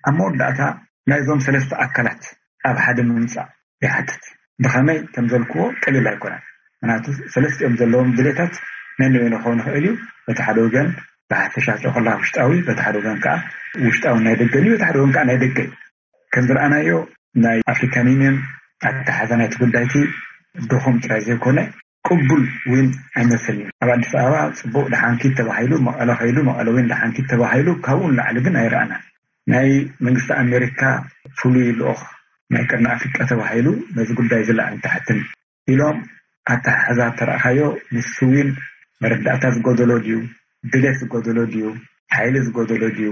ኣብ መወዳእታ ናይዞም ሰለስተ ኣካላት ኣብ ሓደ ምምፃእ ይሓትት። ብኸመይ ከም ዘልክዎ ቀሊል ኣይኮነን። ምክንያቱ ሰለስቲኦም ዘለዎም ድሌታት ነንበይኑ ክኸውን ይኽእል እዩ። በቲ ሓደ ወገን ብሓፈሻ ጨቆላ ውሽጣዊ፣ በቲ ሓደ ወገን ከዓ ውሽጣዊ ናይ ደገን እዩ፣ በቲ ሓደ ወገን ከዓ ናይ ደገ እዩ። ከም ዝረኣናዮ ናይ ኣፍሪካን ዩኒየን ኣተሓዛ ናይቲ ጉዳይቲ ድኹም ጥራይ ዘይኮነ ቅቡል እውን ኣይመስልን። ኣብ ኣዲስ ኣበባ ፅቡቅ ደሓንኪት ተባሂሉ መቐለ ከይዱ፣ መቐለ እውን ደሓንኪት ተባሂሉ፣ ካብኡ ንላዕሊ ግን ኣይረኣናን። ናይ መንግስቲ ኣሜሪካ ፍሉይ ልኡኽ ናይ ቀርኒ ኣፍሪቃ ተባሂሉ ነዚ ጉዳይ ዝለዓል ታሕትን ኢሎም ኣተሓሕዛ ተረኣኻዮ፣ ንሱ እውን መረዳእታ ዝጎደሎ ድዩ፣ ድሌት ዝጎደሎ ድዩ፣ ሓይሊ ዝጎደሎ ድዩ፣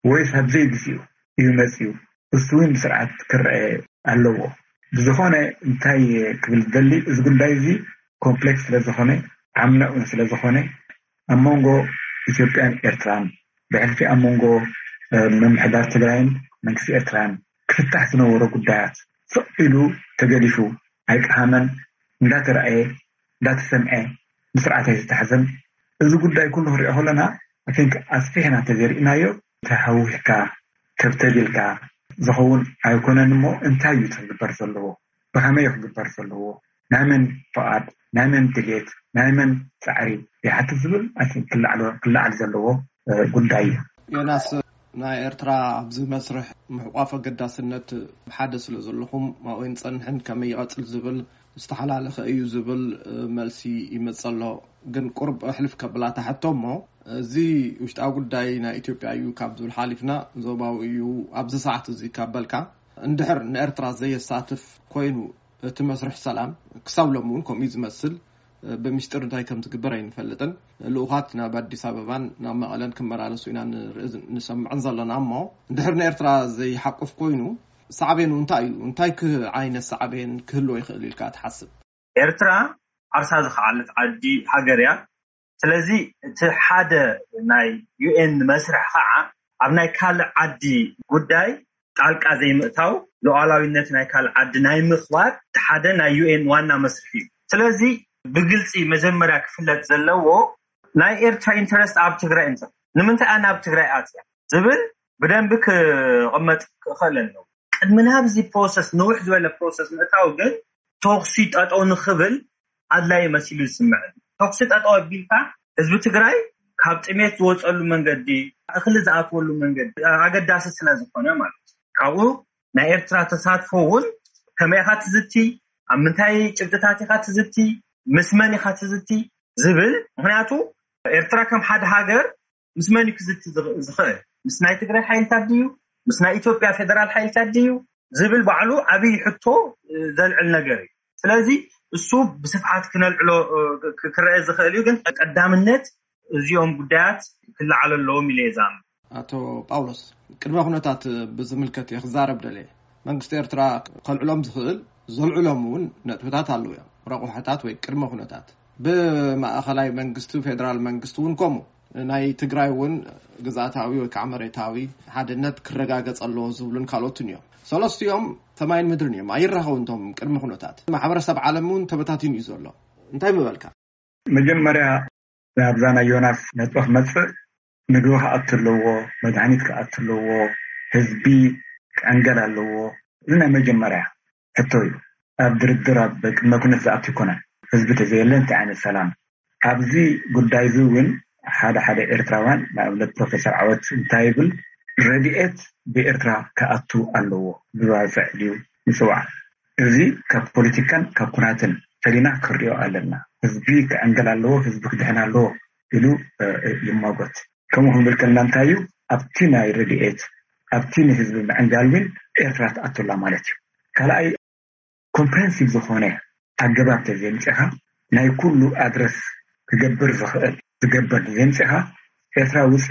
ወይስ ኣብ ዘይግዚኡ እዩ መፂኡ? እሱ እውን ብስርዓት ክረአ ኣለዎ። ብዝኾነ እንታይ ክብል ደሊ፣ እዚ ጉዳይ እዚ ኮምፕሌክስ ስለዝኾነ፣ ዓሚቕ እውን ስለዝኾነ፣ ኣብ መንጎ ኢትዮጵያን ኤርትራን፣ ብሕልፊ ኣብ መንጎ ምምሕዳር ትግራይን መንግስቲ ኤርትራን ክፍታሕ ዝነበሮ ጉዳያት ስቕ ኢሉ ተገዲፉ፣ ኣይቀሃመን፣ እንዳተረኣየ እንዳተሰምዐ ብስርዓት ኣይዝተሓዘን። እዚ ጉዳይ ኩሉ ክንሪኦ ከለና፣ I think ኣስፊሕና እንተዘይርኢናዮ፣ ተሃዊኽካ ተብተቢልካ ዝኸውን ኣይኮነን። እሞ እንታይ እዩ ክግበር ዘለዎ? ብኸመይ እዩ ክግበር ዘለዎ? ናይ መን ፍቓድ፣ ናይ መን ድሌት፣ ናይ መን ፃዕሪ ይሓትት ዝብል I think ክለዓል ዘለዎ ጉዳይ እዩ። ዮናስ፣ ናይ ኤርትራ ኣብዚ መስርሕ ምሕቋፍ ኣገዳስነት ሓደ ስለ ዘለኹም ኣብኡ ንፀንሕን ከመይ ይቐፅል ዝብል ዝተሓላለኸ እዩ ዝብል መልሲ ይመፅ ኣሎ። ግን ቁርብ ሕልፍ ከብላ ታሕቶ እሞ፣ እዚ ውሽጣዊ ጉዳይ ናይ ኢትዮጵያ እዩ ካብ ዝብል ሓሊፍና ዞባዊ እዩ ኣብዚ ሰዓት እዚ ካብ በልካ፣ እንድሕር ንኤርትራ ዘየሳትፍ ኮይኑ እቲ መስርሕ ሰላም፣ ክሳብ ሎሚ እውን ከምኡ እዩ ዝመስል። ብምስጢር እንታይ ከም ትግበር ኣይንፈልጥን። ልኡኻት ናብ ኣዲስ ኣበባን ናብ መቐለን ክመላለሱ ኢና ንርኢ ንሰምዕን ዘለና። እሞ እንድሕር ንኤርትራ ዘይሓቁፍ ኮይኑ፣ ሳዕቤኑ እንታይ እዩ? እንታይ ዓይነት ሳዕቤን ክህልዎ ይኽእል ኢልካ ትሓስብ? ኤርትራ ዓርሳ ዝኸዓለት ዓዲ፣ ሃገር እያ። ስለዚ እቲ ሓደ ናይ ዩ ኤን መስርሕ ከዓ ኣብ ናይ ካልእ ዓዲ ጉዳይ ጣልቃ ዘይምእታው፣ ሉዓላዊነት ናይ ካልእ ዓዲ ናይ ምኽባር፣ እቲ ሓደ ናይ ዩ ኤን ዋና መስርሕ እዩ። ስለዚ ብግልፂ መጀመርያ ክፍለጥ ዘለዎ፣ ናይ ኤርትራ ኢንተረስት ኣብ ትግራይ እንተ ንምንታይ ኣነ ኣብ ትግራይ ኣትያ ዝብል ብደንቢ ክቕመጥ ክኽእል ኣለዎ። ቅድሚ ናብዚ ፕሮሰስ፣ ንውሕ ዝበለ ፕሮሰስ ምእታው ግን፣ ተኹሲ ጠጠው ንኽብል ኣድላይ መሲሉ ዝስምዐኒ። ተኹሲ ጠጠው ኣቢልካ ህዝቢ ትግራይ ካብ ጥሜት ዝወፀሉ መንገዲ፣ እኽሊ ዝኣትወሉ መንገዲ ኣገዳሲ ስለ ዝኾነ ማለት እዩ። ካብኡ ናይ ኤርትራ ተሳትፎ እውን፣ ከመይ ኢኻ ትዝቲ፣ ኣብ ምንታይ ጭብጥታት ኢኻ ትዝቲ፣ ምስ መን ኢኻ ትዝቲ ዝብል። ምክንያቱ ኤርትራ ከም ሓደ ሃገር ምስ መን እዩ ክዝቲ ዝኽእል? ምስ ናይ ትግራይ ሓይልታት ድዩ? ምስ ናይ ኢትዮጵያ ፌደራል ሓይልታት ድዩ ዝብል ባዕሉ ዓብዪ ሕቶ ዘልዕል ነገር እዩ። ስለዚ እሱ ብስፍሓት ክነልዕሎ ክረአ ዝኽእል እዩ። ግን ቀዳምነት እዚኦም ጉዳያት ክለዓል ኣለዎም ኢለ እየ ዝኣምን። ኣቶ ጳውሎስ፣ ቅድመ ኩነታት ብዝምልከት እየ ክዛረብ ደልየ። መንግስቲ ኤርትራ ከልዕሎም ዝኽእል፣ ዘልዕሎም እውን ነጥብታት ኣለዉ እዮም። ረቑሕታት ወይ ቅድመ ኩነታት ብማእኸላይ መንግስቲ፣ ፌደራል መንግስቲ እውን ከምኡ። ናይ ትግራይ እውን ግዝኣታዊ ወይ ከዓ መሬታዊ ሓድነት ክረጋገፅ ኣለዎ ዝብሉን ካልኦትን እዮም። ሰለስቲኦም ሰማይን ምድርን እዮም። ኣይራኸቡን እቶም ቅድመ ኩነታት። ማሕበረሰብ ዓለም እውን ተበታቲኑ እዩ ዘሎ። እንታይ ምበልካ? መጀመርያ ናብዛ ናይ ዮናስ ነጥቢ ክመፅእ፣ ምግቢ ክኣቱ ኣለዎ፣ መድሃኒት ክኣቱ ኣለዎ፣ ህዝቢ ክዕንገል ኣለዎ። እዚ ናይ መጀመርያ ሕቶ እዩ። ኣብ ድርድር ኣብ ቅድመ ኩነት ዝኣቱ ኣይኮነን። ህዝቢ ተዘየለ እንታይ ዓይነት ሰላም? ኣብዚ ጉዳይ እዚ እውን ሓደ ሓደ ኤርትራውያን፣ ንኣብነት ፕሮፌሰር ዓወት እንታይ ይብል፣ ረድኤት ብኤርትራ ክኣቱ ኣለዎ፣ ብባፅዕ ድዩ ይፅዋዕ? እዚ ካብ ፖለቲካን ካብ ኩናትን ፈሊና ክንሪኦ ኣለና። ህዝቢ ክዕንገል ኣለዎ፣ ህዝቢ ክድሕን ኣለዎ ኢሉ ይማጎት። ከምኡ ክንብል ከለና እንታይ እዩ ኣብቲ ናይ ረድኤት፣ ኣብቲ ንህዝቢ ምዕንጋል እውን ኤርትራ ትኣቱላ ማለት እዩ። ካልኣይ፣ ኮምፕሬንሲቭ ዝኾነ ኣገባብ ተዘይምፅኻ፣ ናይ ኩሉ ኣድረስ ክገብር ዝኽእል ዝገበር ተዘይምፅኻ፣ ኤርትራ ውፂ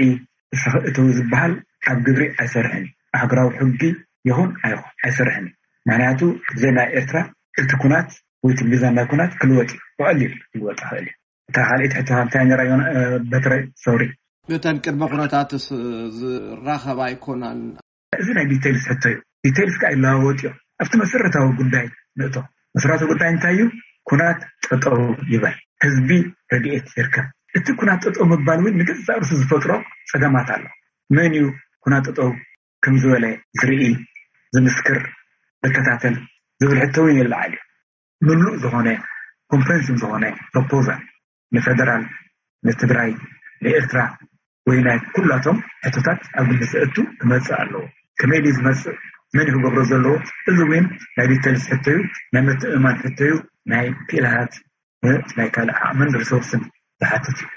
እስኺ እተዊ ዝበሃል ኣብ ግብሪ ኣይሰርሕን እዩ። ኣህጉራዊ ሕጊ ይኹን ኣይኹን ኣይሰርሕን እዩ። ምክንያቱ ብዘይ ናይ ኤርትራ እቲ ኩናት ወይ እቲ ሚዛን ናይ ኩናት ክልወጥ እዩ፣ ብቐሊል ክልወጥ ይኽእል እዩ። እታ ካልኣይቲ ሕቶ እንታይ ነራ በትረ? ሶሪ። እተን ቅድመ ኩነታትስ ዝራኸባ ኣይኮናን። እዚ ናይ ዲቴልስ ሕቶ እዩ። ዲቴልስ ከዓ ይለዋወጥ እዮም። ኣብቲ መሰረታዊ ጉዳይ ንእቶ። መሰረታዊ ጉዳይ እንታይ እዩ? ኩናት ጠጠው ይበል፣ ህዝቢ ረድኤት ይርከብ። እቲ ኩናት ጠጠው ምባል እውን ንገዛእ ርእሱ ዝፈጥሮ ፀገማት ኣሎ። መን እዩ ኩናት ጠጠው ከም ዝበለ ዝርኢ፣ ዝምስክር፣ ዝከታተል ዝብል ሕቶ እውን የለዓል እዩ። ምሉእ ዝኾነ ኮምፕሬንሲቭ ዝኾነ ፕሮፖዛል ንፌደራል፣ ንትግራይ፣ ንኤርትራ ወይ ናይ ኩላቶም ሕቶታት ኣብ ግምት ዘእቱ ክመጽእ ኣለዎ። ከመይ ድዩ ዝመጽእ? መን እዩ ክገብሮ ዘለዎ? እዚ እውን ናይ ዲቴልስ ሕቶ እዩ። ናይ ምትእምማን ሕቶ እዩ። ናይ ክኢላታት፣ ናይ ካልእ ዓቕምን ሪሶርስን ዝሓትት እዩ።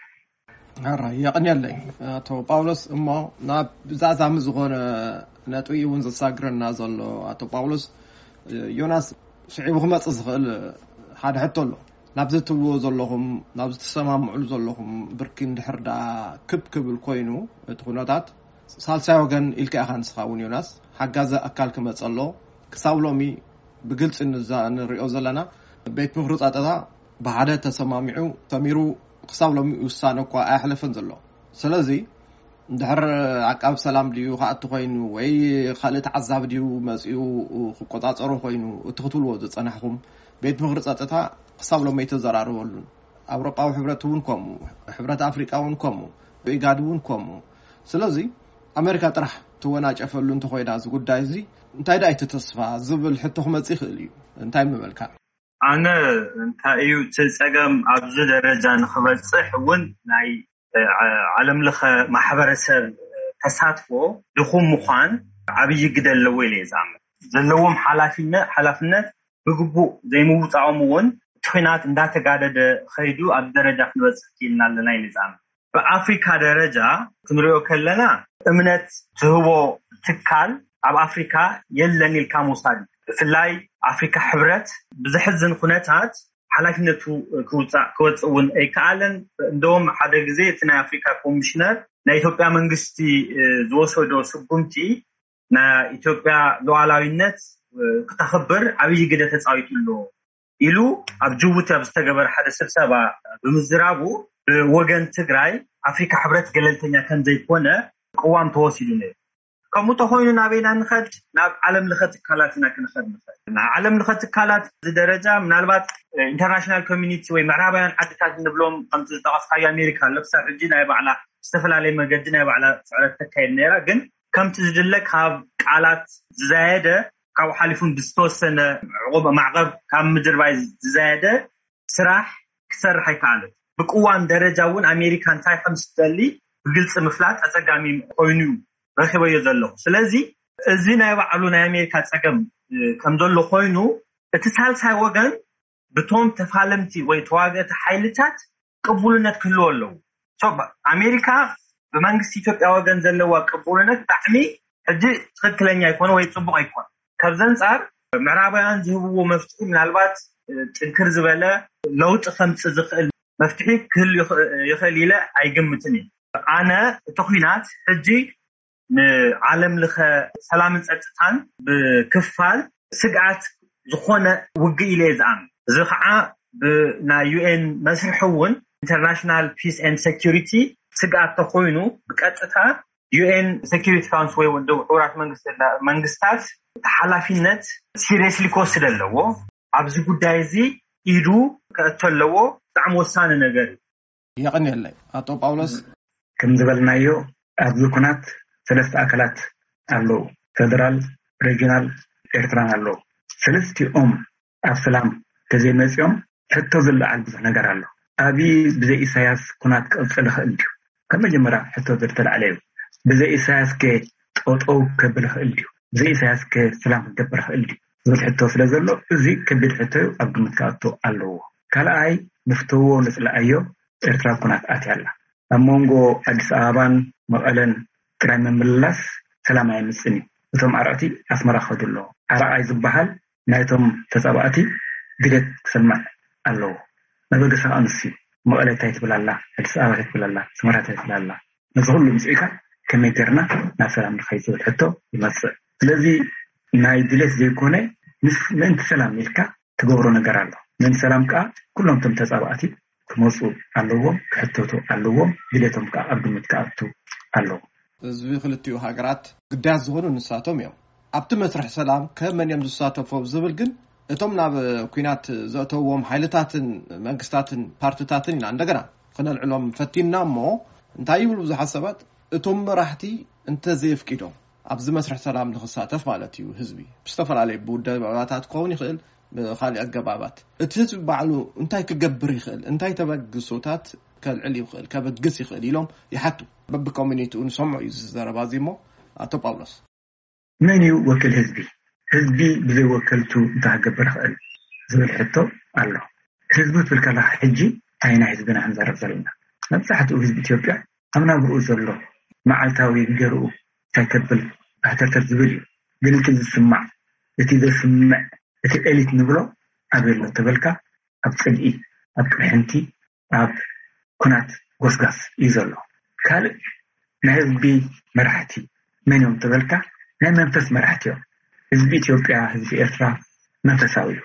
ሕራይ የቕንየለይ ኣቶ ጳውሎስ። እሞ ናብ ዛዛሚ ዝኾነ ነጥቢ እውን ዘሳግረና ዘሎ ኣቶ ጳውሎስ፣ ዮናስ፣ ስዒቡ ክመጽእ ዝኽእል ሓደ ሕቶ ኣሎ። ናብዚ ትብልዎ ዘለኹም፣ ናብዚ ትሰማምዕሉ ዘለኹም ብርኪ እንድሕር ደኣ ክብ ክብል ኮይኑ እቲ ኩነታት፣ ሳልሳይ ወገን ኢልካ ኢኻ ንስኻ እውን ዮናስ፣ ሓጋዚ ኣካል ክመጸ ኣሎ። ክሳብ ሎሚ ብግልጺ ንዛ- ንሪኦ ዘለና፣ ቤት ምኽሪ ጸጥታ ብሓደ ተሰማሚዑ ሰሚሩ ክሳብ ሎሚ ውሳነ እኳ ኣየሕለፈን ዘሎ። ስለዚ እንድሕር ዓቃብ ሰላም ድዩ ክኣቱ ኮይኑ ወይ ካልእ ተዓዛቢ ድዩ መጺኡ ክቆጻጸሮ ኮይኑ፣ እቲ ክትብልዎ ዝጸናሕኩም፣ ቤት ምኽሪ ጸጥታ ክሳብ ሎሚ ኣይተዘራረበሉን። ኣውሮጳዊ ሕብረት እውን ከምኡ፣ ሕብረት ኣፍሪቃ እውን ከምኡ፣ ኢጋድ እውን ከምኡ። ስለዚ ኣሜሪካ ጥራሕ ትወናጨፈሉ እንተኮይና እዚ ጉዳይ እዚ፣ እንታይ ደኣ እቲ ተስፋ ዝብል ሕቶ ክመጽእ ይኽእል እዩ። እንታይ ምበልካ? ኣነ እንታይ እዩ እቲ ጸገም ኣብዚ ደረጃ ንክበጽሕ እውን ናይ ዓ- ዓለም ለኸ ማሕበረሰብ ተሳትፎ ድኹም ምዃን ዓብዪ ግደ ኣለዎ ኢለ እየ ዝኣምን። ዘለዎም ሓላፊነት ሓላፍነት ብግቡእ ዘይምውፃኦም እውን እቲ ኹናት እንዳተጋደደ ኸይዱ ኣብ ደረጃ ክንበፅሕ ክኢልና ኣለና ኢለ ዝኣምን። ብኣፍሪካ ደረጃ ክንሪኦ ከለና እምነት ዝህቦ ትካል ኣብ ኣፍሪካ የለን ኢልካ ምውሳድ እዩ። ብፍላይ ኣፍሪካ ሕብረት ብዘሕዝን ኩነታት ሓላፍነቱ ክውፃእ ክወፅእ እውን ኣይከኣለን። እንደውም ሓደ ግዜ እቲ ናይ ኣፍሪካ ኮሚሽነር ናይ ኢትዮጵያ መንግስቲ ዝወሰዶ ስጉምቲ ናይ ኢትዮጵያ ሉዓላዊነት ክተኽብር ዓብዪ ግደ ተፃዊቱ ኣሎ ኢሉ ኣብ ጅቡቲ ኣብ ዝተገበረ ሓደ ስብሰባ ብምዝራቡ ብወገን ትግራይ ኣፍሪካ ሕብረት ገለልተኛ ከምዘይኮነ ቅዋም ተወሲዱ ነይሩ። ከምኡ ተኮይኑ ናበይና ንኸድ? ናብ ዓለም ለኸ ትካላት ኢና ክንኸድ ንኸድ። ናብ ዓለም ለኸ ትካላት እዚ ደረጃ ምናልባት ኢንተርናሽናል ኮሚኒቲ ወይ ምዕራባውያን ዓድታት እንብሎም ከምቲ ዝጠቐስካዮ ኣሜሪካ ኣሎ ክሳብ ሕጂ ናይ ባዕላ ዝተፈላለየ መገዲ ናይ ባዕላ ስዕረት ተካየድ ነይራ። ግን ከምቲ ዝድለ ካብ ቃላት ዝዛየደ ካብኡ ሓሊፉን ብዝተወሰነ ዕቑብ ማዕቐብ ካብ ምድርባይ ዝዛየደ ስራሕ ክትሰርሕ ኣይከኣለት። ብቅዋም ደረጃ እውን ኣሜሪካ እንታይ ከም ዝደሊ ብግልፂ ምፍላጥ ኣፀጋሚ ኮይኑ ረኪበዮ ዘለኹ። ስለዚ እዚ ናይ ባዕሉ ናይ ኣሜሪካ ፀገም ከም ዘሎ ኮይኑ እቲ ሳልሳይ ወገን ብቶም ተፋለምቲ ወይ ተዋገእቲ ሓይልታት ቅቡልነት ክህልዎ ኣለዎ። ኣሜሪካ ብመንግስቲ ኢትዮጵያ ወገን ዘለዋ ቅቡልነት ብጣዕሚ ሕጂ ትኽክለኛ ኣይኮነ ወይ ፅቡቕ ኣይኮነ። ካብዚ ኣንፃር ምዕራባውያን ዝህብዎ መፍትሒ ምናልባት ጥንክር ዝበለ ለውጢ ከምፅእ ዝኽእል መፍትሒ ክህሉ ይኽእል ኢለ ኣይግምትን እዩ። ኣነ እቲ ኹናት ሕጂ ንዓለም ለኸ ሰላምን ፀጥታን ብክፋል ስግኣት ዝኾነ ውግእ ኢለ እየ ዝኣምን። እዚ ከዓ ብናይ ዩኤን መስርሒ እውን ኢንተርናሽናል ፒስ ኤንድ ሴኪሪቲ ስግኣት ተኮይኑ ብቀጥታ ዩኤን ሴኪሪቲ ካውንስል ወይ ውድብ ሕቡራት መንግስታት ሓላፊነት ሲሪየስሊ ክወስድ ኣለዎ። ኣብዚ ጉዳይ እዚ ኢዱ ከእቶ ኣለዎ። ብጣዕሚ ወሳኒ ነገር እዩ። የቐንየለይ ኣቶ ጳውሎስ። ከም ዝበልናዮ ኣብዚ ኩናት ሰለስተ ኣካላት ኣለዉ። ፌደራል፣ ሬጂናል፣ ኤርትራን ኣለዉ። ሰለስቲኦም ኣብ ሰላም ተዘይመፂኦም ሕቶ ዝለዓል ብዙሕ ነገር ኣሎ። ኣብይ ብዘይ ኢሳያስ ኩናት ክቕፅል ይኽእል ድዩ? ካብ መጀመርያ ሕቶ ዝተላዕለ እዩ። ብዘይ ኢሳያስ ከ ጠጠው ከብል ይኽእል ድዩ? ብዘይ ኢሳያስ ከ ሰላም ክገብር ይኽእል ድዩ? ዝብል ሕቶ ስለ ዘሎ እዚ ከቢድ ሕቶ እዩ፣ ኣብ ግምት ክኣቱ ኣለዎ። ካልኣይ ንፍተዎ ንፅልኣዮ ኤርትራ ኩናት ኣትያ ኣላ። ኣብ መንጎ ኣዲስ ኣበባን መቐለን ጥራይ ምምልላስ ሰላም ኣየምፅን እዩ። እቶም ኣርዕቲ ኣስመራ ክኸዱ ኣለዎ። ኣርኣይ ዝበሃል ናይቶም ተፃባእቲ ድሌት ክሰምዕ ኣለዎ። መበገሲ ከዓ ንሱ እዩ። መቐለ እንታይ ትብል ኣላ፣ ኣዲስ ኣበባ እንታይ ትብል ኣላ፣ ኣስመራ እንታይ ትብል ኣላ፣ ነዚ ኩሉ ምፅኢካ ከመይ ጌርና ናብ ሰላም ንኸይድ ዝብል ሕቶ ይመፅእ። ስለዚ ናይ ድሌት ዘይኮነ ምስ ምእንቲ ሰላም ኢልካ ትገብሮ ነገር ኣሎ። ምእንቲ ሰላም ከዓ ኩሎም እቶም ተፃባእቲ ክመፁ ኣለዎም፣ ክሕተቱ ኣለዎም፣ ድሌቶም ከዓ ኣብ ግምት ክኣቱ ኣለዎ። ህዝቢ ክልቲኡ ሃገራት ግዳያት ዝኾኑ ንሳቶም እዮም። ኣብቲ መስርሕ ሰላም ከመን እዮም ዝሳተፉ ዝብል ግን እቶም ናብ ኲናት ዘእተውዎም ሓይልታትን መንግስታትን ፓርትታትን ኢና እንደገና ክነልዕሎም ፈቲንና እሞ እንታይ ይብሉ ብዙሓት ሰባት እቶም መራሕቲ እንተዘየፍቂዶም ኣብዚ መስርሕ ሰላም ንክሳተፍ ማለት እዩ። ህዝቢ ብዝተፈላለየ ብውደባታት ክኸውን ይኽእል፣ ብካሊእ ኣገባባት እቲ ህዝቢ ባዕሉ እንታይ ክገብር ይኽእል፣ እንታይ ተበግሶታት ከልዕል ይኽእል፣ ከበግስ ይኽእል ኢሎም ይሓቱ። በብኮሚኒቲኡ ንሰምዖ እዩ እዚ ዘረባ እዚ። እሞ ኣቶ ጳውሎስ፣ መን እዩ ወኪል ህዝቢ? ህዝቢ ብዘይ ወከልቱ እንታይ ክገብር ይኽእል ዝብል ሕቶ ኣሎ። ህዝቢ ትብል ከለካ ሕጂ ኣይና ህዝብና ክንዘርብ ዘለና፣ መብዛሕትኡ ህዝቢ ኢትዮጵያ ኣብ ናብርኡ ዘሎ መዓልታዊ ገርኡ እንታይ ከብል ኣህተርተር ዝብል እዩ። ግን እቲ ዝስማዕ፣ እቲ ዘስምዕ፣ እቲ ኤሊት ንብሎ ኣበይ ኣሎ ተበልካ፣ ኣብ ጽልኢ፣ ኣብ ቅርሕንቲ፣ ኣብ ኩናት ጎስጋስ እዩ ዘሎ። ካልእ ናይ ህዝቢ መራሕቲ መን እዮም ተበልካ፣ ናይ መንፈስ መራሕቲ እዮም። ህዝቢ ኢትዮጵያ፣ ህዝቢ ኤርትራ መንፈሳዊ እዩ።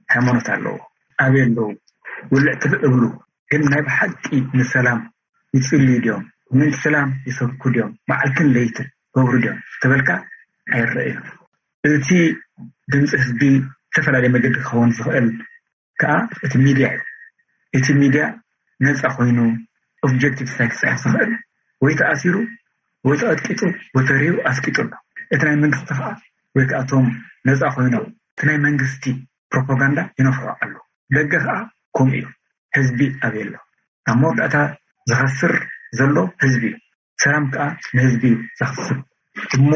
ሃይማኖት ኣለዎ። ኣበይ ኣለዉ? ውልዕ ትብዕ እብሉ። ግን ናይ ብሓቂ ንሰላም ይጽልዩ ድዮም? ምእንቲ ሰላም ይሰብኩ ድዮም? መዓልትን ለይትን ገብሩ ድዮም ተበልካ፣ ኣይረእዩን። እቲ ድምፂ ህዝቢ ዝተፈላለየ መገዲ ክኸውን ዝኽእል ከዓ እቲ ሚድያ እዩ። እቲ ሚድያ ነፃ ኮይኑ ኦብጀክቲቭ ሳይት ክፅሕፍ ዝኽእል ወይ ተኣሲሩ ወይ ተቐጥቂጡ ወይ ተሪሩ ኣስቂጡ ኣሎ። እቲ ናይ መንግስቲ ከዓ ወይ ከዓ እቶም ነፃ ኮይኖም እቲ ናይ መንግስቲ ፕሮፓጋንዳ ይነፍሑ ኣሎ። ደገ ከዓ ከምኡ እዩ። ህዝቢ ኣበይ ኣሎ? ኣብ መወዳእታ ዝኸስር ዘሎ ህዝቢ እዩ። ሰላም ከዓ ንህዝቢ እዩ ዘኽስብ። እሞ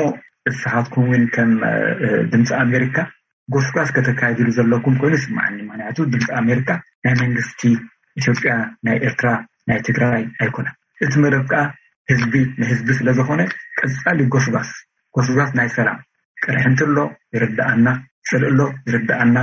ንስኻትኩም እውን ከም ድምፂ ኣሜሪካ ጎስጓስ ከተካይድሉ ዘለኩም ኮይኑ ይስማዓኒ። ምክንያቱ ድምፂ ኣሜሪካ ናይ መንግስቲ ኢትዮጵያ፣ ናይ ኤርትራ፣ ናይ ትግራይ ኣይኮነን። እቲ መደብ ከዓ ህዝቢ ንህዝቢ ስለዝኾነ ቀፃሊ ጎስጓስ፣ ጎስጓስ ናይ ሰላም። ቅርሕንቲ ኣሎ ይርዳኣና፣ ፅልኢ ኣሎ ይርዳኣና።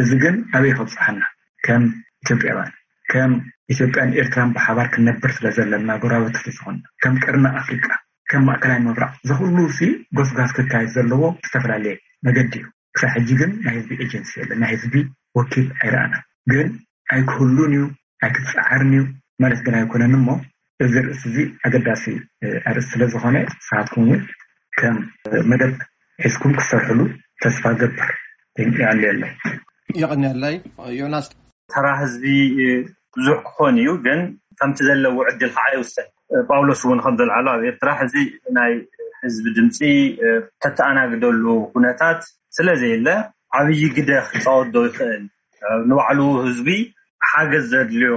እዚ ግን ኣበይ ከብፅሓና? ከም ኢትዮጵያውያን፣ ከም ኢትዮጵያን ኤርትራን ብሓባር ክንነብር ስለዘለና፣ ጎረባብቲ ስለዝኾንና፣ ከም ቀርኒ ኣፍሪቃ፣ ከም ማእከላይ ምብራቕ፣ እዚ ኩሉ ሲ ጎስጓስ ክካየድ ዘለዎ ዝተፈላለየ መገዲ እዩ። ክሳብ ሕጂ ግን ናይ ህዝቢ ኤጀንሲ የለን፣ ናይ ህዝቢ ወኪል ኣይረኣናን። ግን ኣይክህሉን እዩ፣ ኣይክፀዓርን እዩ ማለት ግን ኣይኮነን። እሞ እዚ ርእሲ እዚ ኣገዳሲ ኣርእስቲ ስለዝኾነ ንስኻትኩም እውን ከም መደብ ሒዝኩም ክትሰርሕሉ ተስፋ ገብር። የቐንየለይ። የቐንየለይ ዮናስ። ተራ ህዝቢ ብዙሕ ክኾን እዩ፣ ግን ከምቲ ዘለዎ ዕድል ከዓ ይውሰን። ጳውሎስ እውን ከም ዘልዓሎ ኣብ ኤርትራ ሕዚ ናይ ህዝቢ ድምፂ ተተኣናግደሉ ኩነታት ስለዘየለ ዓብዪ ግደ ክፃወት ዶ ይኽእል? ንባዕሉ ህዝቢ ሓገዝ ዘድልዮ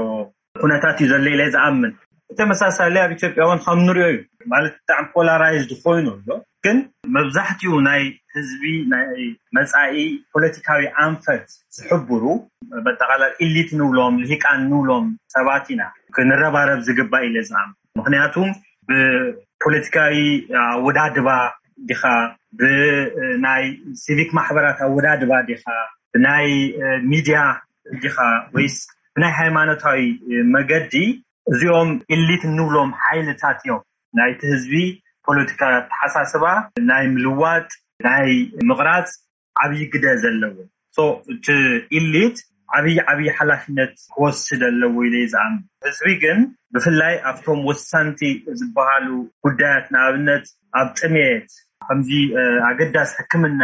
ኩነታት እዩ ዘሎ ኢለ ዝኣምን። ብተመሳሳሊ ኣብ ኢትዮጵያ እውን ከም ንሪኦ እዩ፣ ማለት ብጣዕሚ ፖላራይዝድ ኮይኑ ኣሎ። ግን መብዛሕትኡ ናይ ህዝቢ ናይ መፃኢ ፖለቲካዊ ኣንፈት ዝሕብሩ በጠቓላል ኢሊት ንብሎም ልሂቃን ንብሎም ሰባት ኢና ክንረባረብ ዝግባእ ኢለ ዝኣምን። ምክንያቱ ብፖለቲካዊ ኣወዳድባ ዲኻ፣ ብናይ ሲቪክ ማሕበራት ኣወዳድባ ዲኻ፣ ብናይ ሚድያ ዲኻ ወይስ ብናይ ሃይማኖታዊ መገዲ? እዚኦም ኢሊት እንብሎም ሓይልታት እዮም ናይቲ ህዝቢ ፖለቲካ ኣተሓሳስባ ናይ ምልዋጥ ናይ ምቕራፅ ዓብዪ ግደ ዘለዎ። እቲ ኢሊት ዓብዪ ዓብዪ ሓላፍነት ክወስድ ኣለዎ ኢለ ዝኣምን። ህዝቢ ግን ብፍላይ ኣብቶም ወሳንቲ ዝበሃሉ ጉዳያት፣ ንኣብነት ኣብ ጥሜት፣ ከምዚ ኣገዳሲ ሕክምና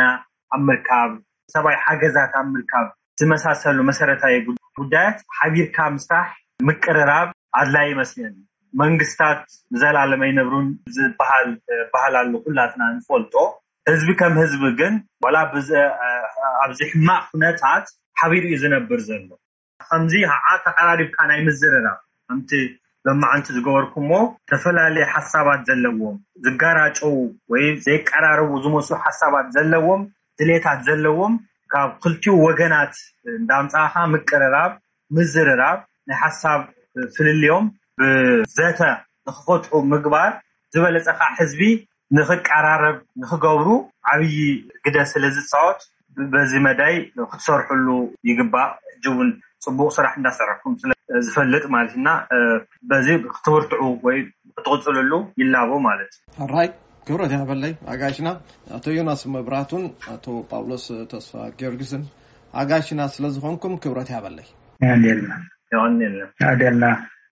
ኣብ ምርካብ፣ ሰብኣዊ ሓገዛት ኣብ ምርካብ ዝመሳሰሉ መሰረታዊ ጉዳያት ሓቢርካ ምስራሕ፣ ምቅርራብ ኣድላይ ይመስለኒ። መንግስታት ንዘላለም ኣይነብሩን ዝበሃል ባህል ኣሎ፣ ኩላትና ንፈልጦ። ህዝቢ ከም ህዝቢ ግን ዋላ ኣብዚ ሕማቕ ኩነታት ሓቢሩ እዩ ዝነብር ዘሎ። ከምዚ ከዓ ተቀራሪብካ ናይ ምዝርራብ፣ ከምቲ ሎማዓንቲ ዝገበርኩሞ፣ ዝተፈላለየ ሓሳባት ዘለዎም ዝጋራጨው ወይ ዘይቀራረቡ ዝመስሉ ሓሳባት ዘለዎም፣ ድሌታት ዘለዎም ካብ ክልቲኡ ወገናት እንዳምፃእካ ምቅርራብ፣ ምዝርራብ፣ ናይ ሓሳብ ፍልልዮም ብዘተ ንክፈትሑ ምግባር ዝበለፀ ከዓ ህዝቢ ንክቀራረብ ንክገብሩ ዓብዪ ግደ ስለ ዝፃወት በዚ መዳይ ክትሰርሕሉ ይግባእ። ሕጂ እውን ፅቡቅ ስራሕ እንዳሰራሕኩም ስለ ዝፈልጥ ማለት ኢና። በዚ ክትብርትዑ ወይ ክትቕፅልሉ ይላቦ ማለት እዩ። ሕራይ ክብረት ያበለይ ኣጋይሽና ኣቶ ዮናስ መብራቱን ኣቶ ጳውሎስ ተስፋ ጊዮርጊስን ኣጋይሽና ስለዝኾንኩም ክብረት ያበለይ። ኣደልና የቐንየልና። ኣደልና